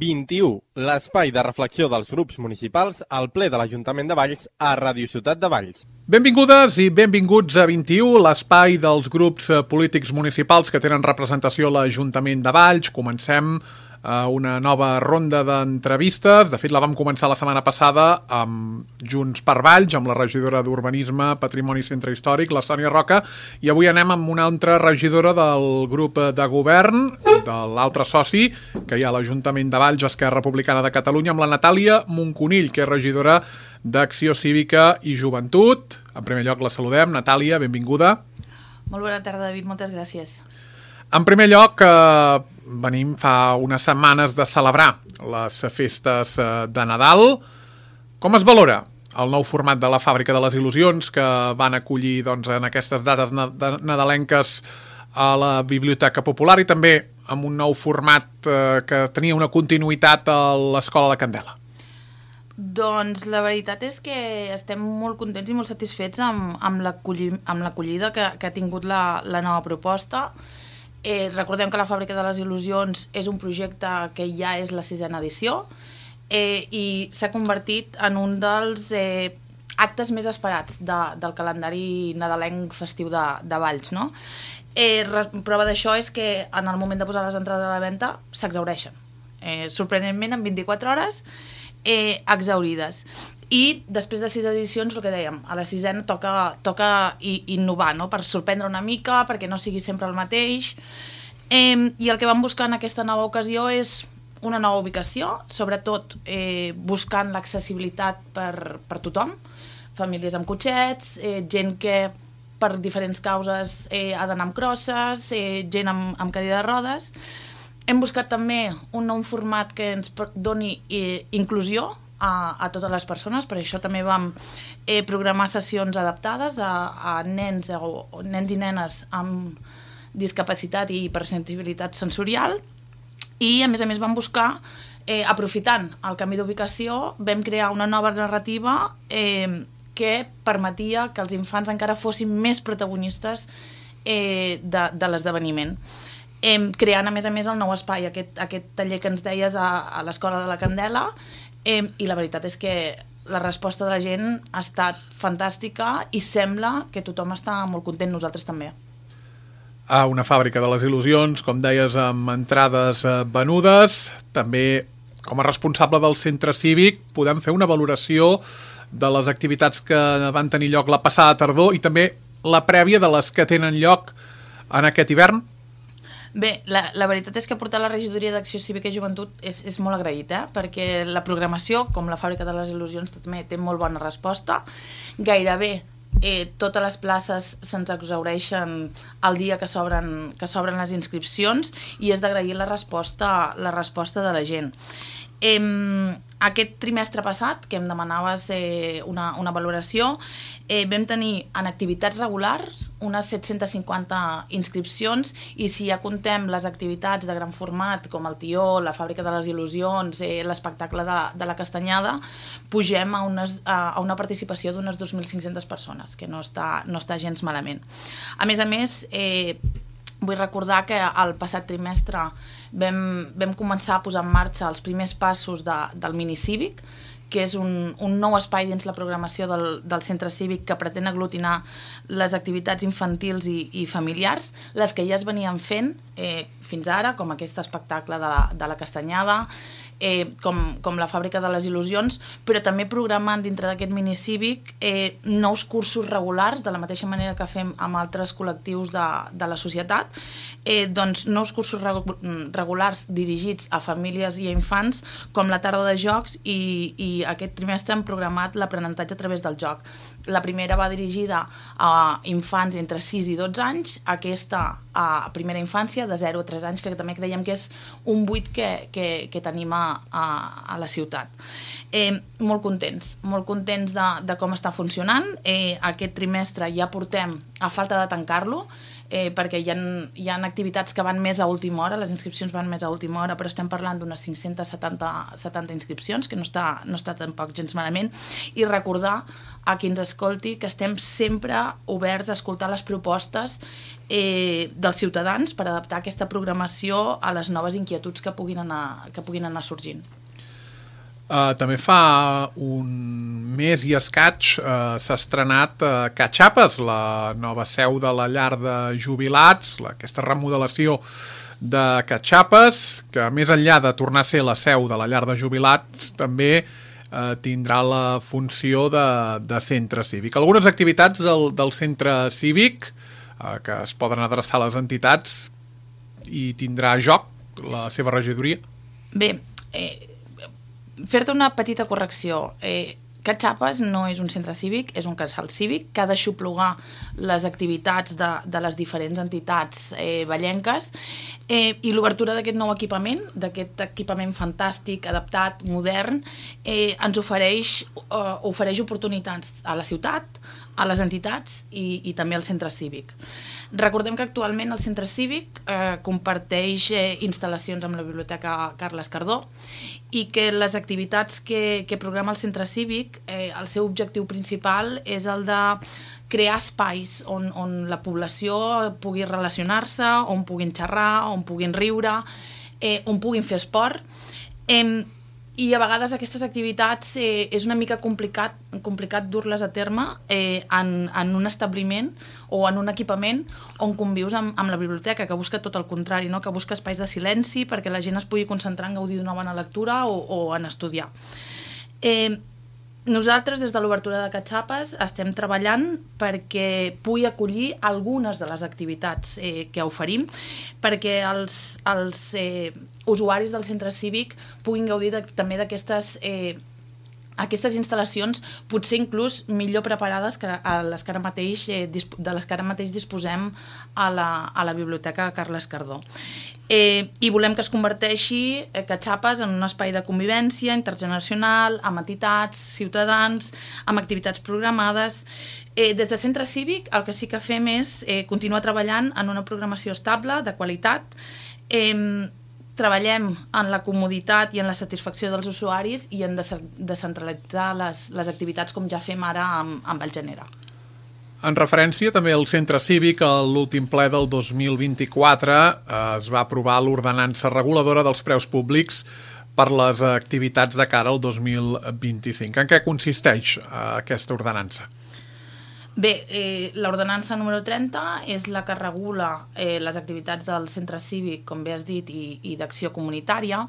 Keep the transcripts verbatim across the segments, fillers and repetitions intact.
vint-i-u, l'espai de reflexió dels grups municipals al ple de l'Ajuntament de Valls a Ràdio Ciutat de Valls. Benvingudes i benvinguts a vint-i-u, l'espai dels grups polítics municipals que tenen representació a l'Ajuntament de Valls. Comencem una nova ronda d'entrevistes. De fet, la vam començar la setmana passada amb Junts per Valls, amb la regidora d'Urbanisme, Patrimoni i Centre Històric, la Sònia Roca, i avui anem amb una altra regidora del grup de govern, de l'altre soci que hi ha a l'Ajuntament de Valls, Esquerra Republicana de Catalunya, amb la Natàlia Monconill, que és regidora d'Acció Cívica i Joventut. En primer lloc la saludem. Natàlia, benvinguda. Molt bona tarda, David, moltes gràcies. En primer lloc, eh, venim fa unes setmanes de celebrar les festes de Nadal. Com es valora el nou format de la Fàbrica de les Il·lusions que van acollir doncs, en aquestes dates nadalenques a la Biblioteca Popular i també amb un nou format eh, que tenia una continuïtat a l'Escola La Candela? Doncs la veritat és que estem molt contents i molt satisfets amb, amb l'acollida que, que ha tingut la, la nova proposta. Eh, recordem que la Fàbrica de les Il·lusions és un projecte que ja és la sisena edició eh, i s'ha convertit en un dels eh, actes més esperats de, del calendari nadalenc festiu de, de Valls, no? Eh, prova d'això és que en el moment de posar les entrades a la venda s'exhaureixen. Eh, sorprenentment, en vint-i-quatre hores, eh, exhaurides. I després de sis edicions, el que dèiem, a la sisena toca, toca innovar, no? Per sorprendre una mica, perquè no sigui sempre el mateix. Eh, I el que vam buscar en aquesta nova ocasió és una nova ubicació, sobretot eh, buscant l'accessibilitat per, per tothom, famílies amb cotxets, eh, gent que per diferents causes eh, ha d'anar amb crosses, eh, gent amb, amb cadira de rodes. Hem buscat també un nou format que ens doni eh, inclusió A, a totes les persones, per això també vam eh, programar sessions adaptades a, a nens, o, o nens i nenes amb discapacitat i hipersensibilitat sensorial, i a més a més vam buscar, eh, aprofitant el canvi d'ubicació, vam crear una nova narrativa eh, que permetia que els infants encara fossin més protagonistes eh, de, de l'esdeveniment. Eh, creant a més a més el nou espai, aquest, aquest taller que ens deies a, a l'Escola de la Candela, Eh, i la veritat és que la resposta de la gent ha estat fantàstica i sembla que tothom està molt content, nosaltres també. A una Fàbrica de les Il·lusions, com deies, amb entrades venudes. També, com a responsable del centre cívic, podem fer una valoració de les activitats que van tenir lloc la passada tardor i també la prèvia de les que tenen lloc en aquest hivern? Bé, la, la veritat és que portar la regidoria d'Acció Cívica i Joventut és, és molt agraït, eh? Perquè la programació, com la Fàbrica de les Il·lusions, també té molt bona resposta. Gairebé eh, totes les places se'ns exhaureixen el dia que s'obren que s'obren les inscripcions i és d'agrair la resposta, la resposta de la gent. Eh, aquest trimestre passat, que em demanaves eh, una, una valoració, eh, vam tenir en activitats regulars unes set-centes cinquanta inscripcions i si ja contem les activitats de gran format com el Tió, la Fàbrica de les Il·lusions, eh, l'espectacle de, de la Castanyada, pugem a, unes, a, a una participació d'unes dos mil cinc-centes persones, que no està, no està gens malament. A més a més, eh, vull recordar que el passat trimestre vam, vam començar a posar en marxa els primers passos de, del minicívic, que és un, un nou espai dins la programació del, del centre cívic que pretén aglutinar les activitats infantils i, i familiars, les que ja es venien fent eh, fins ara, com aquest espectacle de la, de la Castanyada, eh, com, com la Fàbrica de les Il·lusions, però també programant dintre d'aquest minicívic eh, nous cursos regulars, de la mateixa manera que fem amb altres col·lectius de, de la societat, eh, doncs nous cursos regulars dirigits a famílies i a infants, com la tarda de jocs, i, i aquest trimestre hem programat l'aprenentatge a través del joc. La primera va dirigida a infants entre sis i dotze anys, aquesta a primera infància de zero a tres anys, que també creiem que és un buit que, que, que tenim a, a, a la ciutat. Eh, molt contents, molt contents de, de com està funcionant. Eh, aquest trimestre ja portem, a falta de tancar-lo, eh, perquè hi ha, hi ha activitats que van més a última hora, les inscripcions van més a última hora, però estem parlant d'unes cinc-centes setanta inscripcions, que no està, no està tampoc gens malament, i recordar a qui ens escolti que estem sempre oberts a escoltar les propostes eh, dels ciutadans per adaptar aquesta programació a les noves inquietuds que puguin anar, que puguin anar sorgint. Uh, també fa un mes i escaig uh, s'ha estrenat uh, Catxapes, la nova seu de la llar de jubilats, la, aquesta remodelació de Catxapes, que més enllà de tornar a ser la seu de la llar de jubilats, també uh, tindrà la funció de, de centre cívic. Algunes activitats del, del centre cívic uh, que es poden adreçar a les entitats i tindrà joc la seva regidoria? Bé, eh, fer-te una petita correcció. Eh, Catxapes no és un centre cívic, és un casal cívic que ha d'aixoplugar les activitats de, de les diferents entitats eh, vallenques eh, i l'obertura d'aquest nou equipament, d'aquest equipament fantàstic, adaptat, modern, eh, ens ofereix, eh, ofereix oportunitats a la ciutat, a les entitats i, i també al centre cívic. Recordem que actualment el centre cívic eh, comparteix eh, instal·lacions amb la Biblioteca Carles Cardó i que les activitats que, que programa el centre cívic, eh, el seu objectiu principal és el de crear espais on, on la població pugui relacionar-se, on puguin xerrar, on puguin riure, eh, on puguin fer esport. Eh, I a vegades aquestes activitats eh, és una mica complicat, complicat dur-les a terme eh, en, en un establiment o en un equipament on convius amb, amb la biblioteca, que busca tot el contrari, no? Que busca espais de silenci perquè la gent es pugui concentrar en gaudir d'una bona lectura o, o en estudiar. Eh, Nosaltres, des de l'obertura de Catxapes, estem treballant perquè pugui acollir algunes de les activitats eh, que oferim, perquè els, els eh, usuaris del centre cívic puguin gaudir de, també d'aquestes eh, aquestes instal·lacions, potser inclús millor preparades que a les que ara mateix, eh, de les que ara mateix disposem a la, a la Biblioteca Carles Cardó. Eh, I volem que es converteixi eh, Catxapes en un espai de convivència intergeneracional, amb entitats, ciutadans, amb activitats programades. Eh, des de Centre Cívic el que sí que fem és eh, continuar treballant en una programació estable, de qualitat. Eh, treballem en la comoditat i en la satisfacció dels usuaris i en descentralitzar les, les activitats com ja fem ara amb, amb el Genera. En referència també al centre cívic, a l'últim ple del dos mil vint-i-quatre eh, es va aprovar l'ordenança reguladora dels preus públics per les activitats de cara al dos mil vint-i-cinc. En què consisteix eh, aquesta ordenança? Bé, eh, l'ordenança número trenta és la que regula eh, les activitats del centre cívic, com bé has dit, i, i d'acció comunitària,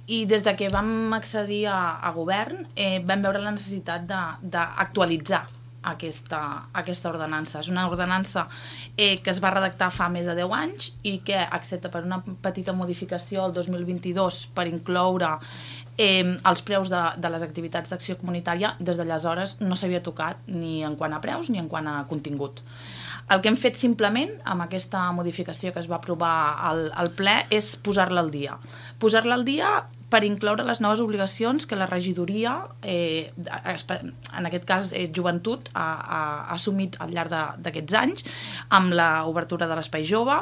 i des de que vam accedir a, a govern eh, vam veure la necessitat d'actualitzar aquesta, aquesta ordenança. És una ordenança eh, que es va redactar fa més de deu anys i que, excepte per una petita modificació el dos mil vint-i-dos per incloure eh, els preus de, de les activitats d'acció comunitària, des d'aleshores no s'havia tocat ni en quant a preus ni en quant a contingut. El que hem fet simplement amb aquesta modificació que es va aprovar al, al ple és posar-la al dia. Posar-la al dia per incloure les noves obligacions que la regidoria, eh, en aquest cas eh, joventut, ha, ha, ha assumit al llarg d'aquests anys amb l'obertura de l'espai jove.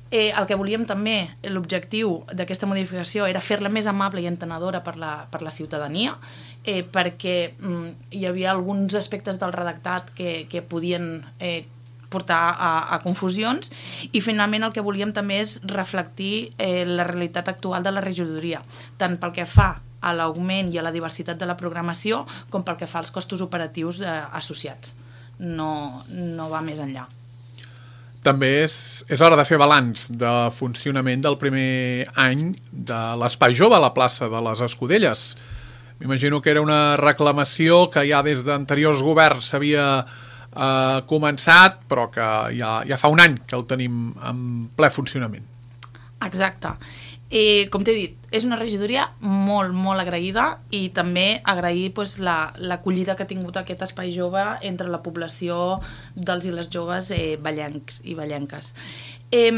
Eh, el que volíem també, l'objectiu d'aquesta modificació era fer-la més amable i entenedora per la, per la ciutadania, eh, perquè mm, hi havia alguns aspectes del redactat que, que podien eh, portar a, a confusions, i finalment el que volíem també és reflectir eh, la realitat actual de la regidoria, tant pel que fa a l'augment i a la diversitat de la programació com pel que fa als costos operatius eh, associats. No, no va més enllà. També és, és hora de fer balanç de funcionament del primer any de l'Espai Jove a la plaça de les Escudelles. M'imagino que era una reclamació que ja des d'anteriors governs s'havia Uh, començat, però que ja, ja fa un any que el tenim en ple funcionament. Exacte. Eh, com t'he dit, és una regidoria molt, molt agraïda, i també agrair pues, l'acollida la, que ha tingut aquest espai jove entre la població dels i les joves eh, vallencs i vallenques. Eh,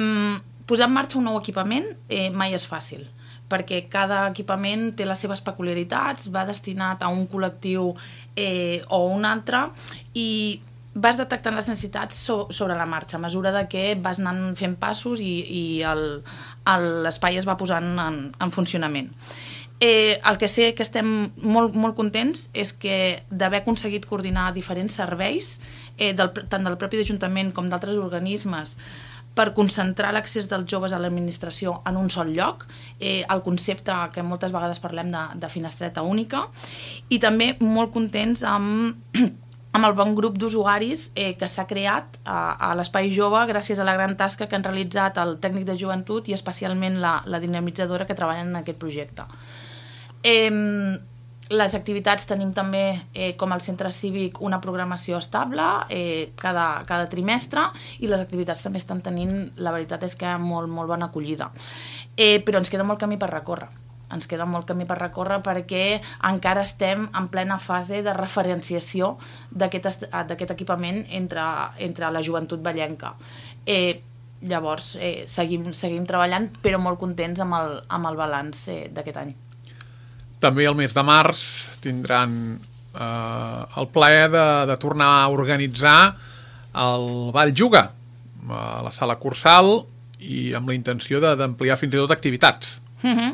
posar en marxa un nou equipament eh, mai és fàcil, perquè cada equipament té les seves peculiaritats, va destinat a un col·lectiu eh, o un altre, i vas detectant les necessitats so, sobre la marxa, a mesura de que vas anant fent passos i, i l'espai es va posant en, en funcionament. Eh, el que sé que estem molt, molt contents és que d'haver aconseguit coordinar diferents serveis, eh, del, tant del propi Ajuntament com d'altres organismes, per concentrar l'accés dels joves a l'administració en un sol lloc, eh, el concepte que moltes vegades parlem de, de finestreta única, i també molt contents amb, amb el bon grup d'usuaris eh, que s'ha creat a, a l'Espai Jove gràcies a la gran tasca que han realitzat el tècnic de joventut i especialment la, la dinamitzadora que treballen en aquest projecte. Eh, les activitats tenim també, eh, com al centre cívic, una programació estable eh, cada, cada trimestre, i les activitats també estan tenint, la veritat és que molt, molt bona acollida. Eh, però ens queda molt camí per recórrer. Ens queda molt camí per recórrer perquè encara estem en plena fase de referenciació d'aquest equipament entre, entre la joventut vallenca. Eh, llavors, eh, seguim, seguim treballant, però molt contents amb el, amb el balanç eh, d'aquest any. També el mes de març tindran eh, el plaer de, de tornar a organitzar el Ball Juga a la sala Cursal i amb la intenció d'ampliar fins i tot activitats. Mm-hmm.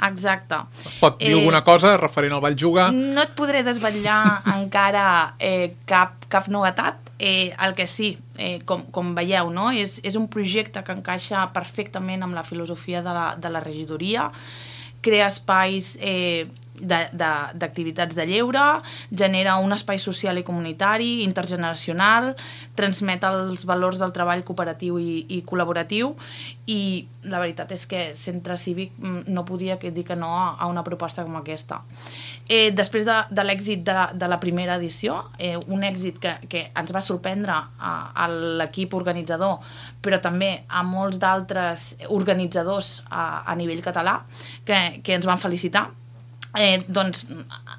Exacte. Es pot dir eh, alguna cosa referent al Ball Juga? No et podré desvetllar encara eh, cap, cap novetat. Eh, el que sí, eh, com, com veieu, no? és, és un projecte que encaixa perfectament amb la filosofia de la, de la regidoria, crea espais eh, d'activitats de, de, de lleure, genera un espai social i comunitari, intergeneracional, transmet els valors del treball cooperatiu i, i col·laboratiu, i la veritat és que Centre Cívic no podia dir que no a una proposta com aquesta. Eh, després de, de l'èxit de, de la primera edició, eh, un èxit que, que ens va sorprendre a, a l'equip organitzador, però també a molts d'altres organitzadors a, a nivell català que, que ens van felicitar, Eh, doncs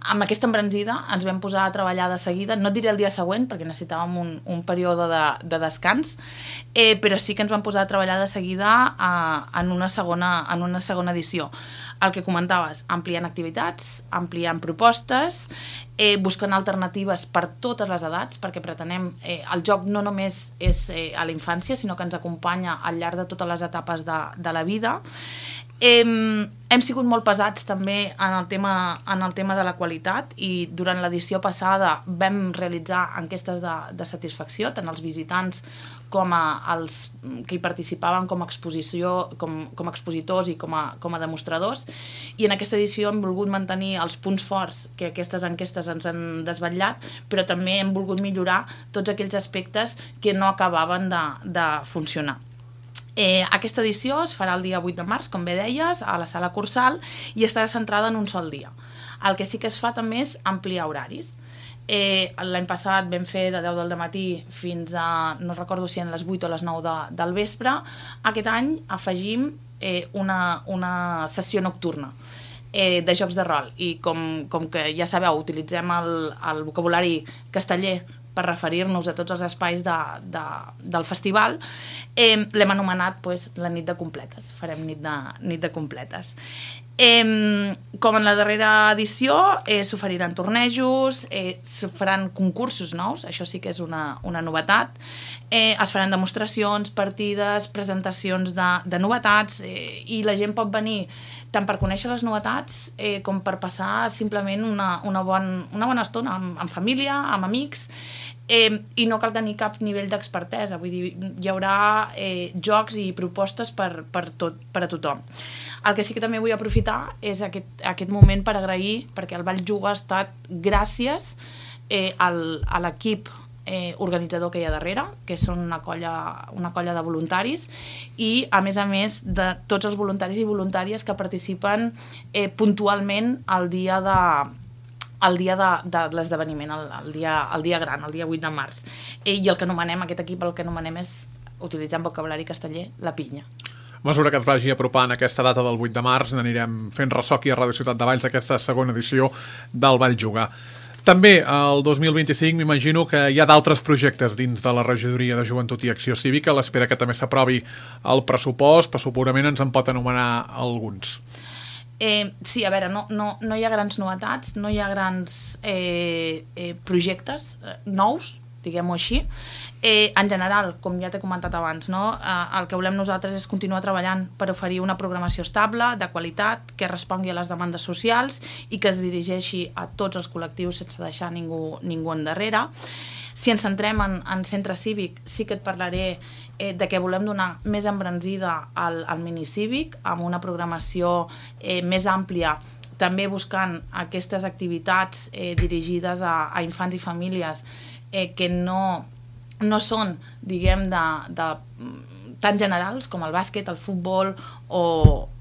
amb aquesta embranzida ens vam posar a treballar de seguida, no et diré el dia següent perquè necessitàvem un, un període de, de descans, eh, però sí que ens vam posar a treballar de seguida a, en, una segona, en una segona edició. El que comentaves, ampliant activitats, ampliant propostes, eh, buscant alternatives per totes les edats, perquè pretenem, eh, el joc no només és eh, a la infància, sinó que ens acompanya al llarg de totes les etapes de, de la vida. Eh, hem sigut molt pesats també en el tema, en el tema de la qualitat, i durant l'edició passada vam realitzar enquestes de, de satisfacció, tant als visitants com a els que hi participaven com a exposició, com, com a expositors i com a, com a demostradors, i en aquesta edició hem volgut mantenir els punts forts que aquestes enquestes ens han desvetllat, però també hem volgut millorar tots aquells aspectes que no acabaven de, de funcionar. Eh, aquesta edició es farà el dia vuit de març, com bé deies, a la sala Cursal, i estarà centrada en un sol dia. El que sí que es fa també és ampliar horaris. Eh, L'any passat vam fer de deu del matí fins a, no recordo si en les vuit o les nou de, del vespre. Aquest any afegim eh, una, una sessió nocturna eh, de jocs de rol, i com, com que ja sabeu, utilitzem el, el vocabulari casteller per referir-nos a tots els espais de, de, del festival, eh, l'hem anomenat pues, la nit de completes. Farem nit de, nit de completes. Eh, com en la darrera edició, eh, s'oferiran tornejos, eh, s'faran concursos nous, això sí que és una, una novetat, eh, es faran demostracions, partides, presentacions de, de novetats, eh, i la gent pot venir tant per conèixer les novetats eh, com per passar simplement una, una, bon, una bona estona amb, amb família, amb amics, eh, i no cal tenir cap nivell d'expertesa, vull dir, hi haurà eh, jocs i propostes per, per, tot, per a tothom. El que sí que també vull aprofitar és aquest, aquest moment per agrair, perquè el Ball Juga ha estat gràcies eh, al, a l'equip Eh, organitzador que hi ha darrere, que són una colla, una colla de voluntaris, i a més a més de tots els voluntaris i voluntàries que participen eh, puntualment al dia de el dia de, de l'esdeveniment, el, el, dia, el dia gran, el dia vuit de març. Eh, I el que anomenem, aquest equip el que anomenem és, utilitzant vocabulari casteller, la pinya. A mesura que es vagi apropant aquesta data del vuit de març, n'anirem fent ressò aquí a Ràdio Ciutat de Valls d'aquesta segona edició del Ball Juga. També, el dos mil vint-i-cinc, m'imagino que hi ha d'altres projectes dins de la Regidoria de Joventut i Acció Cívica, a l'espera que també s'aprovi el pressupost, però segurament ens en pot anomenar alguns. Eh, sí, a veure, no, no, no hi ha grans novetats, no hi ha grans eh, eh, projectes eh, nous, diguem-ho així. Eh, en general, com ja t'he comentat abans, no? eh, el que volem nosaltres és continuar treballant per oferir una programació estable, de qualitat, que respongui a les demandes socials i que es dirigeixi a tots els col·lectius sense deixar ningú, ningú endarrere. Si ens centrem en, en centre cívic, sí que et parlaré eh, de que volem donar més embranzida al, al minicívic, amb una programació eh, més àmplia, també buscant aquestes activitats eh, dirigides a, a infants i famílies eh, que no, no són, diguem, de, de, tan generals com el bàsquet, el futbol o,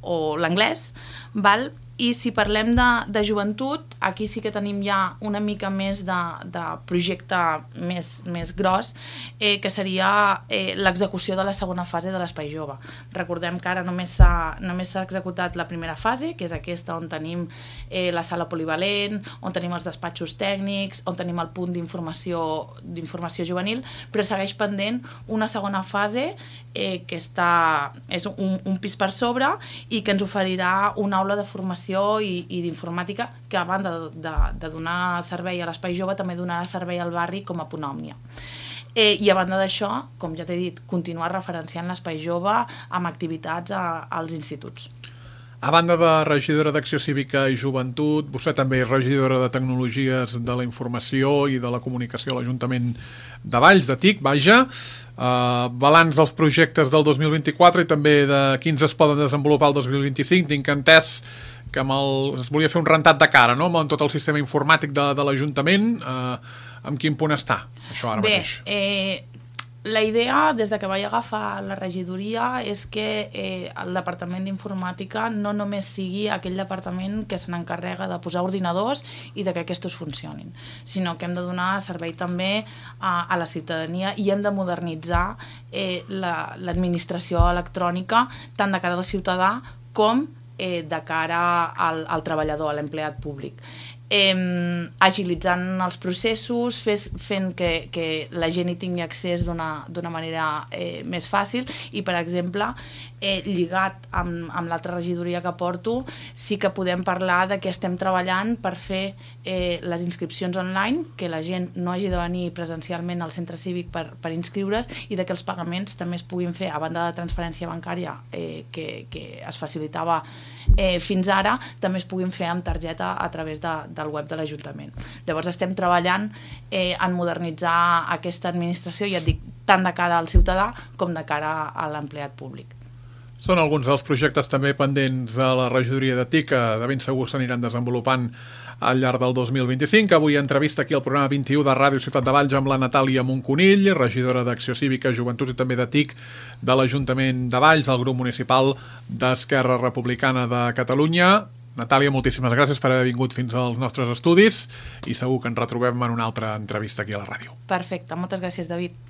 o l'anglès, val? I si parlem de, de joventut, aquí sí que tenim ja una mica més de, de projecte més, més gros, eh, que seria eh, l'execució de la segona fase de l'Espai Jove. Recordem que ara només s'ha només s'ha executat la primera fase, que és aquesta on tenim eh, la sala polivalent, on tenim els despatxos tècnics, on tenim el punt d'informació d'informació juvenil, però segueix pendent una segona fase eh, que està, és un, un pis per sobre i que ens oferirà una aula de formació i, i d'informàtica que a banda de, de, de donar servei a l'Espai Jove també donarà servei al barri com a punt òmnia. Eh, I a banda d'això, com ja t'he dit, continuar referenciant l'Espai Jove amb activitats a, als instituts. A banda de regidora d'Acció Cívica i Joventut, vostè també és regidora de Tecnologies de la Informació i de la Comunicació a l'Ajuntament de Valls, de T I C, vaja. Uh, balanç dels projectes del dos mil vint-i-quatre i també de quins es poden desenvolupar el dos mil vint-i-cinc. Tinc entès que amb el, es volia fer un rentat de cara, no?, amb tot el sistema informàtic de, de l'Ajuntament. Uh, amb quin punt està això ara Bé, mateix? Eh, la idea, des de que vaig agafar la regidoria, és que eh, el Departament d'Informàtica no només sigui aquell departament que se n'encarrega de posar ordinadors i de que aquests funcionin, sinó que hem de donar servei també a, a la ciutadania i hem de modernitzar eh, la, l'administració electrònica tant de cara al ciutadà com eh, de cara al, al treballador, a l'empleat públic. Eh, agilitzant els processos, fes, fent que, que la gent hi tingui accés d'una, d'una manera eh, més fàcil i, per exemple, eh, lligat amb, amb l'altra regidoria que porto, sí que podem parlar de que estem treballant per fer eh, les inscripcions online, que la gent no hagi de venir presencialment al centre cívic per, per inscriure's i de que els pagaments també es puguin fer, a banda de transferència bancària eh, que, que es facilitava eh, fins ara, també es puguin fer amb targeta a través de, del web de l'Ajuntament. Llavors estem treballant eh, en modernitzar aquesta administració, ja et dic, tant de cara al ciutadà com de cara a l'empleat públic. Són alguns dels projectes també pendents a la regidoria de T I C, que de ben segur s'aniran desenvolupant al llarg del dos mil vint-i-cinc. Avui entrevista aquí al programa vint-i-u de Ràdio Ciutat de Valls amb la Natàlia Monconill, regidora d'Acció Cívica, Joventut i també de T I C de l'Ajuntament de Valls, el grup municipal d'Esquerra Republicana de Catalunya. Natàlia, moltíssimes gràcies per haver vingut fins als nostres estudis i segur que ens retrobem en una altra entrevista aquí a la ràdio. Perfecte, moltes gràcies, David.